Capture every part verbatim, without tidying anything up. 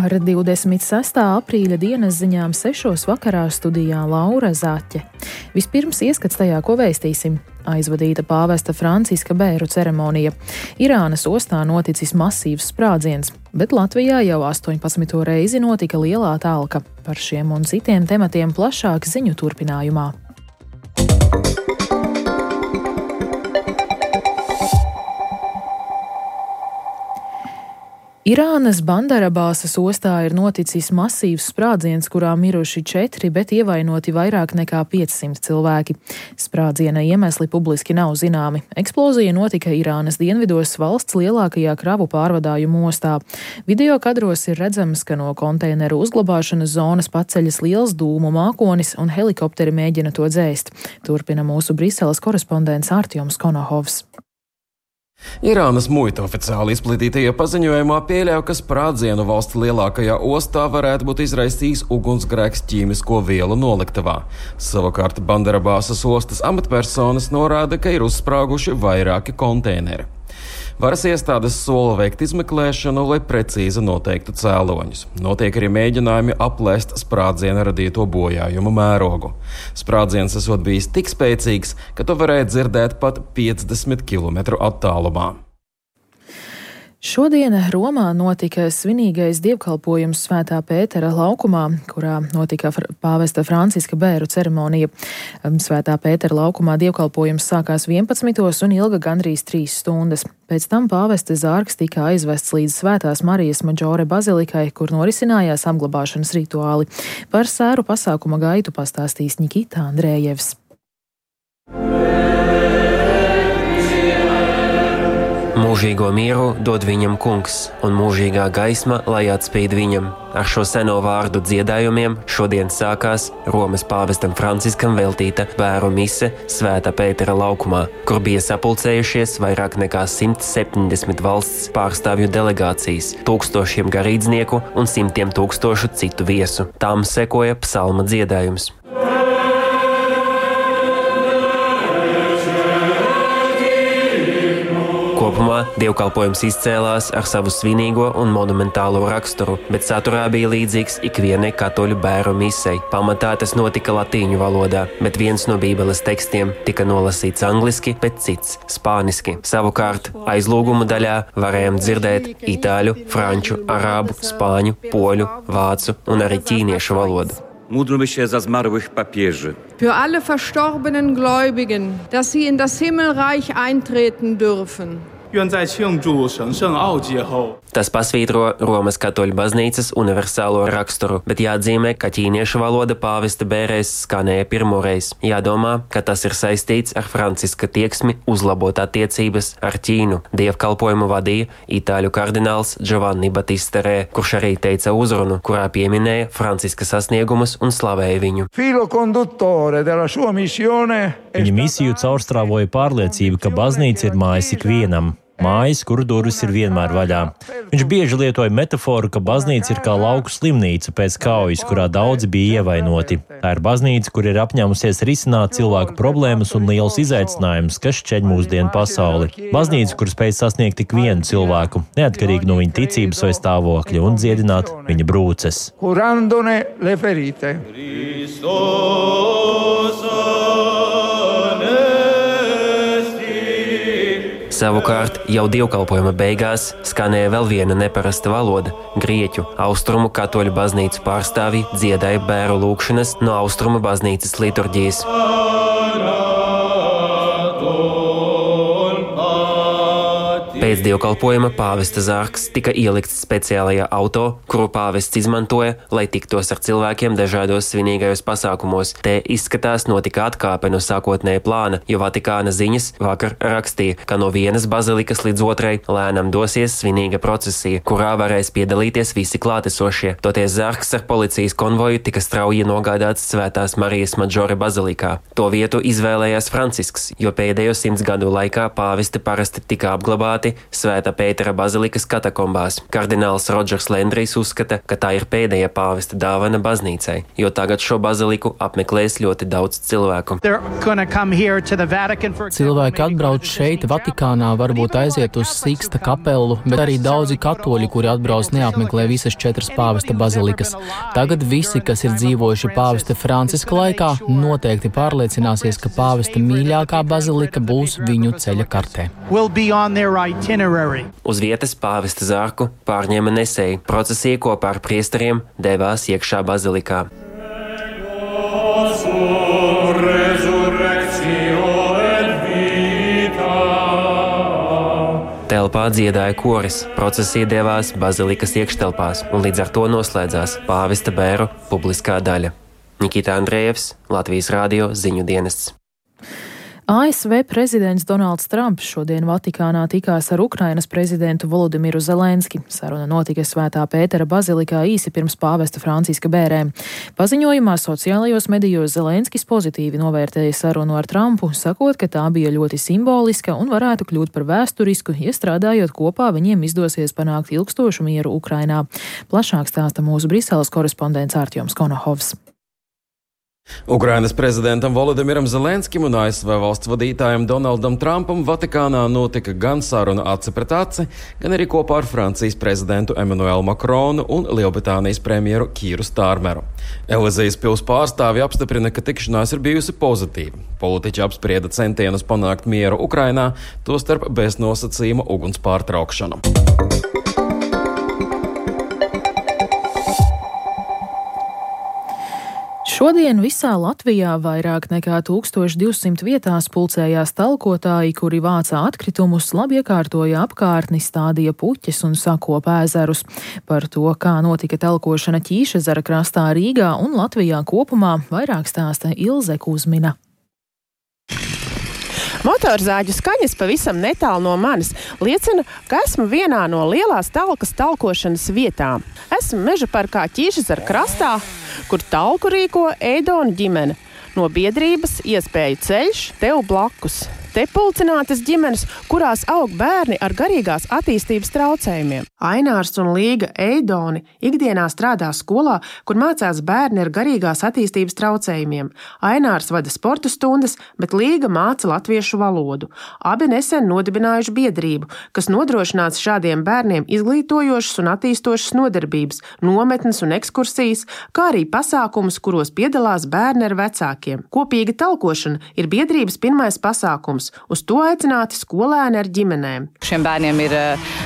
Ar divdesmit sestā aprīļa dienas ziņām sešos vakarā studijā Laura Zaķe. Vispirms ieskats tajā, ko vēstīsim. Aizvadīta pāvesta Franciska bēru ceremonija. Irānas ostā noticis masīvs sprādziens, bet Latvijā jau astoņpadsmito reizi notika lielā talka. Par šiem un citiem tematiem plašāk ziņu turpinājumā. Irānas Bandarabāsas ostā ir noticis masīvs sprādziens, kurā miruši četri, bet ievainoti vairāk nekā piecsimt cilvēki. Sprādziena iemesli publiski nav zināmi. Eksplozija notika Irānas dienvidos valsts lielākajā kravu pārvadājumu ostā. Video kadros ir redzams, ka no konteineru uzglabāšanas zonas paceļas liels dūmu mākonis un helikopteri mēģina to dzēst. Turpina mūsu Briseles korespondents Artjoms Konohovs. Irānas muita oficiāli izplatītajā paziņojumā pieļauj, ka sprādzienu valsts lielākajā ostā varētu būt izraisījis ugunsgrēks ķīmisko vielu noliktavā. Savukārt Bandarabāsas ostas amatpersonas norāda, ka ir uzsprāguši vairāki konteineri. Varas iestādes sola veikt izmeklēšanu, lai precīzi noteiktu cēloņus. Notiek arī mēģinājumi aplēst sprādziena radīto bojājumu mērogu. Sprādziens esot bijis tik spēcīgs, ka to varēja dzirdēt pat piecdesmit kilometru attālumā. Šodien Romā notika svinīgais dievkalpojums Svētā Pētera laukumā, kurā notika pāvesta Franciska bēru ceremonija. Svētā Pētera laukumā dievkalpojums sākās vienpadsmitos un ilga gandrīz trīs stundas. Pēc tam pāvesta zārks tika aizvests līdz Svētās Marijas Maģore bazilikai, kur norisinājās apglabāšanas rituāli. Par sēru pasākuma gaitu pastāstīs Nikita Andrējevs. Mūžīgo mieru dod viņam kungs, un mūžīgā gaisma, lai atspīd viņam. Ar šo seno vārdu dziedājumiem šodien sākās Romas pāvestam Franciskam veltīta bēru mise Svētā Pētera laukumā, kur bija sapulcējušies vairāk nekā simt septiņdesmit valsts pārstāvju delegācijas, tūkstošiem garīdznieku un simtiem tūkstošu citu viesu. Tām sekoja psalma dziedājums. Kopumā dievkalpojums izcēlās ar savu svinīgo un monumentālo raksturu, bet saturā bija līdzīgs ikvienai katoļu bēru misei. Pamatā tas notika latīņu valodā, bet viens no bībeles tekstiem tika nolasīts angliski, bet cits spāniski. Savukārt aizlūgumu daļā varējām dzirdēt itāļu, franču, arābu, spāņu, poļu, vācu un arī ķīniešu valodu. Módlmy się za zmarłych papieży. Für alle verstorbenen Gläubigen, dass sie in das Himmelreich eintreten dürfen. Tas pasvītro Romas katoļu baznīcas universālo raksturu, bet jāatzīmē, ka ķīniešu valoda pāvesta bērēs skanēja pirmoreiz. Jādomā, ka tas ir saistīts ar Franciska tieksmi uzlabot attiecības ar Ķīnu. Dievkalpojumu vadīja itāļu kardināls Giovanni Battista Re, kurš arī teica uzrunu, kurā pieminēja Franciska sasniegumus un slavēja viņu. Viņa misiju caurstrāvoja pārliecība, ka baznīca ir mājas ikvienam. Mājas, kuru durvis ir vienmēr vaļā. Viņš bieži lietoja metaforu, ka baznīca ir kā lauku slimnīca pēc kaujas, kurā daudzi bija ievainoti. Tā ir baznīca, kur ir apņēmusies risināt cilvēku problēmas un liels izaicinājums, kas šķeļ mūsdienu pasauli. Baznīca, kur spēj sasniegt tik vienu cilvēku, neatkarīgi no viņa ticības vai stāvokļa, un dziedināt viņa brūces. Savukārt, jau dievkalpojuma beigās skanēja vēl viena neparasta valoda – grieķu. Austrumu katoļu baznīcu pārstāvji dziedāja bēru lūgšanas no austrumu baznīcas liturģijas. Pēc dievkalpojuma pāvesta zārks tika ielikts speciālajā auto, kuru pāvests izmantoja, lai tiktos ar cilvēkiem dažādos svinīgajos pasākumos. Te izskatās notika atkāpe no sākotnēja plāna, jo Vatikāna ziņas vakar rakstīja, ka no vienas bazilikas līdz otrai lēnām dosies svinīga procesija, kurā varēs piedalīties visi klātesošie. Toties zārks ar policijas konvoju tika strauji nogādāts Svētās Marijas Maģore bazilikā. To vietu izvēlējās Francisks, jo pēdējo simts gadu laikā pāvesti parasti tika apglabāti Svētā Pētera bazilikas katakombās. Kardināls Rodžers Lendrijs uzskata, ka tā ir pēdējā pāvesta dāvana baznīcai, jo tagad šo baziliku apmeklēs ļoti daudz cilvēku. Cilvēki atbrauc šeit, Vatikānā, varbūt aiziet uz Siksta kapelu, bet arī daudzi katoļi, kuri atbrauc, neapmeklē visas četras pāvesta bazilikas. Tagad visi, kas ir dzīvojuši pāvesta Franciska laikā, noteikti pārliecināsies, ka pāvesta mīļākā bazilika būs viņu ceļa kartē. Uz vietas pāvesta zārku pārņēma nesēji. Procesija kopā ar priesteriem devās iekšā bazilikā. Telpā dziedāja koris. Procesija devās bazilikas iekštelpās un līdz ar to noslēdzās pāvesta bēru publiskā daļa. Nikita Andrejevs, Latvijas radio ziņu dienests. A S V prezidents Donalds Trumps šodien Vatikānā tikās ar Ukrainas prezidentu Volodimiru Zelenski. Saruna notika Svētā Pētera bazilikā īsi pirms pāvesta Franciska bērēm. Paziņojumā sociālajos medijos Zelenskis pozitīvi novērtēja sarunu ar Trumpu, sakot, ka tā bija ļoti simboliska un varētu kļūt par vēsturisku, ja strādājot kopā viņiem izdosies panākt ilgstošu mieru Ukrainā. Plašāk stāsta mūsu Briseles korespondents Artjoms Konohovs. Ukrainas prezidentam Volodimiram Zelenskim un A S V valsts vadītājam Donaldam Trumpam Vatikānā notika gan saruna aci pret aci, gan arī kopā ar Francijas prezidentu Emmanuelu Makronu un Lielbritānijas premjeru Kīru Stārmeru. Elizijas pils pārstāvji apstiprina, ka tikšanās ir bijusi pozitīva. Politiķi apsprieda centienus panākt mieru Ukrainā, tostarp bez nosacījuma uguns pārtraukšanu. Šodien visā Latvijā vairāk nekā tūkstoš divsimt vietās pulcējās talkotāji, kuri vācā atkritumus, labi iekārtoja apkārtni, stādīja puķes un sakopa ezerus. Par to, kā notika talkošana Ķīšezera krastā Rīgā un Latvijā kopumā, vairāk stāsta Ilze Kuzmina. Motorzāģu skaņas pavisam netālu no manis liecina, ka esmu vienā no lielās talkas talkošanas vietām. Esmu meža parkā Ķīšezera krastā, kur talku rīko Eidona ģimene. No biedrības Iespēju ceļš tev blakus. Te pulcinātas ģimenes, kurās aug bērni ar garīgās attīstības traucējumiem. Ainārs un Līga Eidoni ikdienā strādā skolā, kur mācās bērni ar garīgās attīstības traucējumiem. Ainārs vada sporta stundas, bet Līga māca latviešu valodu. Abi nesen nodibinājuši biedrību, kas nodrošināts šādiem bērniem izglītojošas un attīstošas nodarbības, nometnes un ekskursijas, kā arī pasākumus, kuros piedalās bērni ar vecākiem. Kopīga talkošana ir biedrības pirmais pasākums. Uz to aicināti skolēni ar ģimenēm. Šiem bērniem ir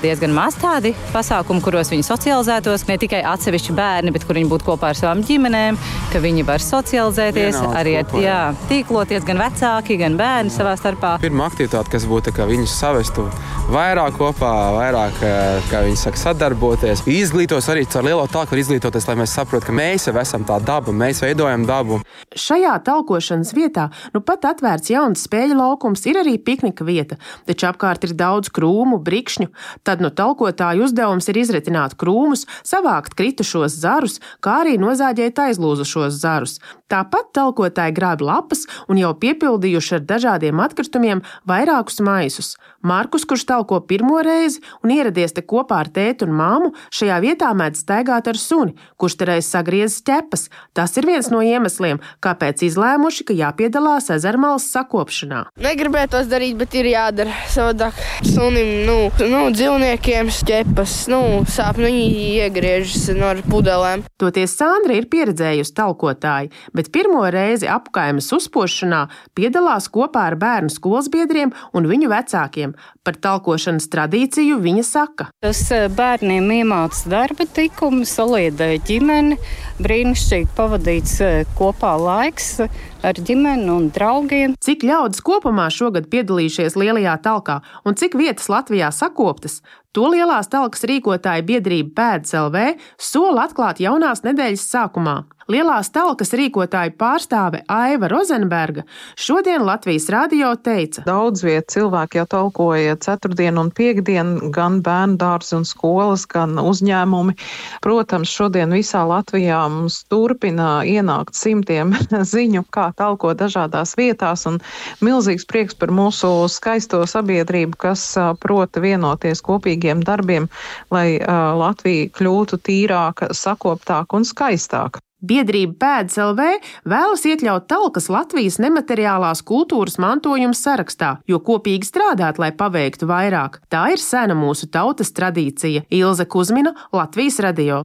diezgan maz tādi pasākumi, kuros viņi socializētos. Ne tikai atsevišķi bērni, bet kur viņi būtu kopā ar savām ģimenēm, ka viņi var socializēties, Vienaudz arī kopā, jā, tīkloties gan vecāki, gan bērni savā starpā. Pirmā aktivitāte, kas būtu, ka viņus savestu vairāk kopā, vairāk, kā viņi saka, sadarboties. Izglītos arī caur lielo talku, var izglītoties, lai mēs saprotu, ka mēs jau esam tā daba, mēs veidojam dabu. Šajā talkošanas vietā nu pat atvērts jauns spēļu laukums, ir arī piknika vieta, taču apkārt ir daudz krūmu, brikšņu. Tad no talkotāju uzdevums ir izritināt krūmus, savākt kritušos zarus, kā arī nozāģēt aizlūzušos zarus. Tāpat talkotāji grāb lapas un jau piepildījuši ar dažādiem atkritumiem vairākus maisus. Markus, kurš talko pirmo reizi un ieradies te kopā ar tēti un māmu, šajā vietā mēdz staigāt ar suni, kurš te reiz sagriezis ķepas. Tas ir viens no iemesliem, kāpēc izlēmuši, ka jāpiedalās ezermalas sakopšanā. Negribētos darīt, bet ir jādara savādāk. Sunim, nu, nu dzīvniekiem ķepas, nu, sāp, nu, viņi iegriežas no pudelēm. Toties Sandra ir pieredzējusi talkotāji, bet pirmo reizi apkaimes uzpošanā piedalās kopā ar bērnu skolas biedriem un viņu vecākiem. Par talkošanas tradīciju viņa saka. Tas bērniem iemāca darba tikumu, saliedēja ģimeni, brīnišķīgi pavadīts kopā laiks ar ģimeni un draugiem. Cik ļaudis kopumā šogad piedalījušies lielajā talkā un cik vietas Latvijā sakoptas, to lielās talkas rīkotāja biedrība Pēdas L V sola atklāt jaunās nedēļas sākumā. Lielās talkas rīkotāja pārstāve Aiva Rozenberga šodien Latvijas radio teica. Daudz viet cilvēki jau talkoja ceturtdien un piekdien, gan bērndārs un skolas, gan uzņēmumi. Protams, šodien visā Latvijā mums turpina ienākt simtiem ziņu, kā talko dažādās vietās, un milzīgs prieks par mūsu skaisto sabiedrību, kas prota vienoties kopīgiem darbiem, lai Latvija kļūtu tīrāka, sakoptāka un skaistāka. Biedrība Pēdas L V vēlas iekļaut talkas Latvijas nemateriālās kultūras mantojuma sarakstā, jo kopīgi strādāt, lai paveiktu vairāk. Tā ir sena mūsu tautas tradīcija. Ilze Kuzmina, Latvijas radio.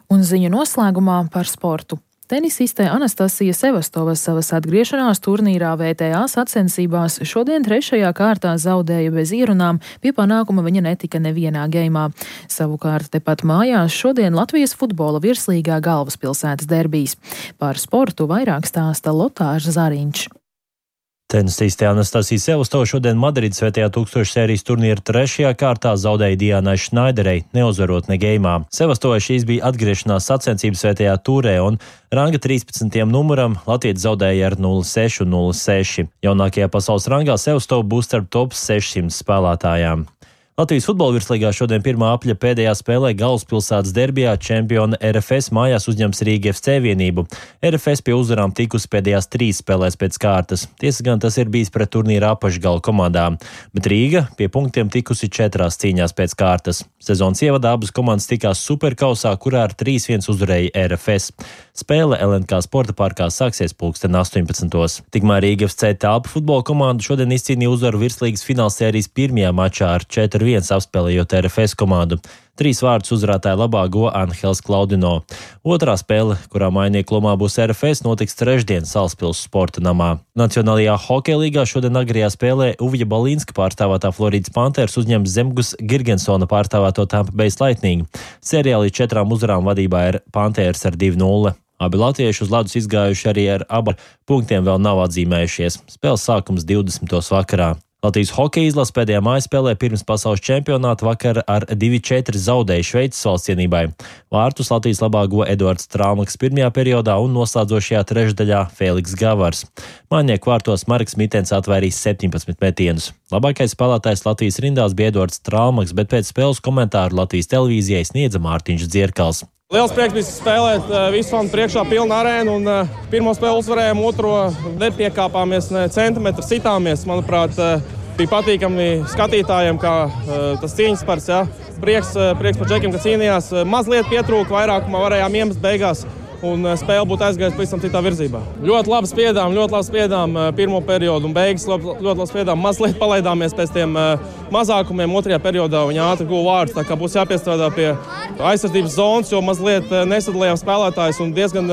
Un ziņu noslēgumā par sportu. Tenisiste Anastasija Sevastova savas atgriešanās turnīrā V T A sacensībās šodien trešajā kārtā zaudēja bez ierunām, pie panākuma viņa netika nevienā geimā. Savukārt tepat mājās šodien Latvijas futbola virslīgā galvaspilsētas derbijs. Par sportu vairāk stāsta Lotārs Zariņš. Tenisiste Anastasija Sevastova šodien Madrides svētajā tūkstošu sērijas turnīra trešajā kārtā zaudēja Diānai Šnaiderei, neuzvarot ne geimā. Sevastovai šīs bija atgriešanās sacensības svētajā turē, un ranga trīspadsmitajam numuram latvietis zaudēja ar nulle seši un nulle seši. Jaunākajā pasaules rangā Sevastova būs starp top sešsimt spēlētājām. Latvijas futbola virslīgā šodien pirmā apļa pēdējā spēlē galvaspilsētas derbijā čempiona R F S mājās uzņems Rīga F C vienību. R F S pie uzvarām tikusi pēdējās trīs spēlēs pēc kārtas. Tiesa gan tas ir bijis pret turnīra apakšgala komandām, bet Rīga pie punktiem tikusi četrās cīņās pēc kārtas. Sezonas ievadā abas komandas tikās superkausā, kurā ar trīs viens uzvarēja R F S. Spēle L N K sporta parkā sāksies pulksten astoņpadsmitos. Tikmēr Rīga F C telpu futbola komanda šodien izcīnīja uzvaru virslīgas finālsērijas pirmajā mačā ar četri viens apspēlējot R F S komandu. Trīs vārdus uzvarētāja labā go Anhels Klaudino. Otrā spēle, kurā mainieku lomā būs R F S, notiks trešdien Salaspils sporta namā. Nacionālajā hokeja līgā šodien agrajā spēlē Uvja Balīnska pārstāvētā Floridas Panthers uzņems Zemgus Girgensona pārstāvēto Tampa Bay Lightning. Sērijā līdz četrām uzvarām vadībā ir Panthers ar divi nulle. Abi latvieši uz ledus izgājuši arī ar abu punktiem vēl nav atzīmējušies. Spēles sākums divdesmitos vakarā. Latvijas hokeja izlase pēdējā mājspēlē pirms pasaules čempionāta vakar ar divi četri zaudēja Šveices valsts vienībai. Vārtus Latvijas labā go Eduards Trāmaks pirmajā periodā un noslēdzošajā trešdaļā Fēliks Gavars. Mainieku vārtos Marks Mitens atvairīs septiņpadsmit metienus. Labākais spēlētājs Latvijas rindās bija Eduards Trāmaks, bet pēc spēles komentāru Latvijas televīzijai sniedza Mārtiņš Dzierkals. Liels prieks bija spēlēt visu fanu priekšā pilnu arēnu, un uh, pirmo spēli uzvarējām, otro nepiekāpāmies, ne centimetru sitāmies. Manuprāt, uh, bija patīkami skatītājiem, kā uh, tas cīņas pars, ja. Prieks, uh, prieks par džekiem, ka cīnījās. Uh, mazliet pietrūka, vairākumā varējām iemest beigās, un uh, spēle būtu aizgājusi pavisam citā virzībā. Ļoti labi spiedām, ļoti labi spiedām uh, pirmo periodu un beigas ļoti, ļoti labi spiedām. Mazliet palaidāmies pēc tiem uh, mazākumiem otrajā periodā, viņa ātri guva vārdus, tā kā būs jāpiestrādā pie aizsardzības zonas, jo mazliet nesadalījām spēlētājus un diezgan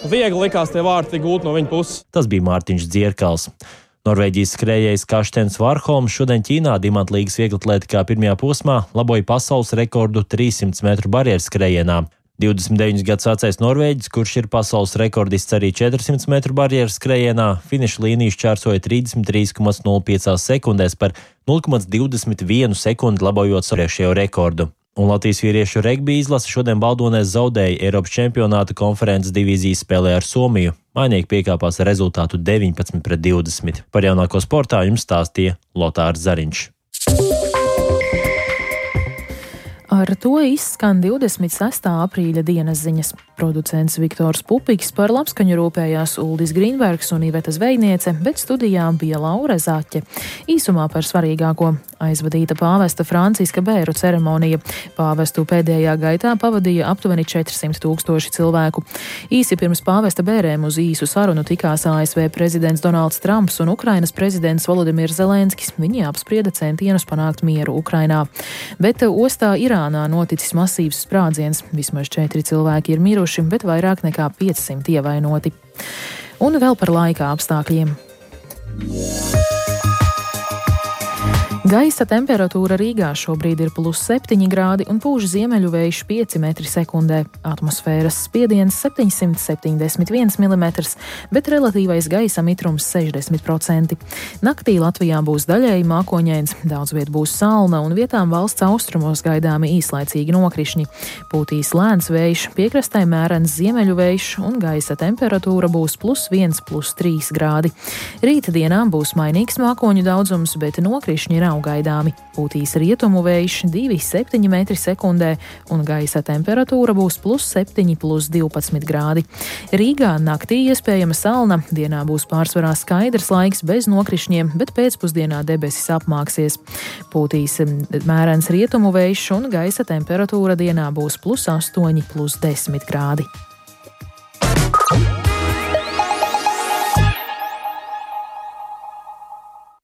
viegli likās tie vārti gūt no viņa puses. Tas bija Mārtiņš Dzierkals. Norvēģijas skrējējs Karstens Varholms šodien Ķīnā Dimantlīgas vieglatlētikā pirmajā posmā laboja pasaules rekordu trīssimts metru barjeras skrējienā. divdesmit deviņus gadus vecais norvēģis, kurš ir pasaules rekordists arī četrsimt metru barjeras skrējienā, finiša līniju šķērsoja trīsdesmit trīs komā nulle pieci sekundēs par nulle komā divdesmit vienu sekundi labojot iepriekšējo rekordu. Un Latvijas vīriešu regbija izlase šodien Baldonēs zaudēja Eiropas čempionāta konferences divīzijas spēlē ar Somiju. Mainieki piekāpās ar rezultātu deviņpadsmit pret divdesmit. Par jaunāko sportā jums stāstīja Lotārs Zariņš. Ar to izskan divdesmit sestā aprīļa dienas ziņas. Producents Viktors Pupiks, par labskaņu rūpējās Uldis Grīnbergs un Iveta Zvejniece, bet studijā bija Laura Zaķe. Īsumā par svarīgāko. Aizvadīta pāvesta Franciska bēru ceremonija. Pāvestu pēdējā gaitā pavadīja aptuveni četrsimt tūkstoši cilvēku. Īsi pirms pāvesta bērēm uz īsu sarunu tikās A S V prezidents Donalds Trumps un Ukrainas prezidents Volodimirs Zelenskis. Viņi apsprieda centienus panākt mieru Ukrainā. Bet ostā Irānā noticis masīvs sprādziens. Vismaz četri cilvēki ir miruši, bet vairāk nekā piecsimt ievainoti. Un vēl par laika apstākļiem. Gaisa temperatūra Rīgā šobrīd ir plus septiņi grādi un pūš ziemeļu vējš pieci metri sekundē. Atmosfēras spiediens septiņsimt septiņdesmit viens milimetrs, bet relatīvais gaisa mitrums sešdesmit procenti. Naktī Latvijā būs daļēji mākoņains, daudz viet būs salna un vietām valsts austrumos gaidāmi īslaicīgi nokrišņi. Pūtīs lēns vējš, piekrastē mērens ziemeļu vējš un gaisa temperatūra būs plus viens, plus trīs grādi. Rīta dienā būs mainīgs mākoņu daudzums, bet nokrišņi ir nav gaidāmi. Pūtīs rietumu vējš divi komats septiņi metri sekundē un gaisa temperatūra būs plus septiņi, plus divpadsmit grādi. Rīgā naktī iespējama salna, dienā būs pārsvarā skaidrs laiks bez nokrišņiem, bet pēcpusdienā debesis apmāksies. Pūtīs mērens rietumu vējš un gaisa temperatūra dienā būs plus astoņi, plus desmit grādi.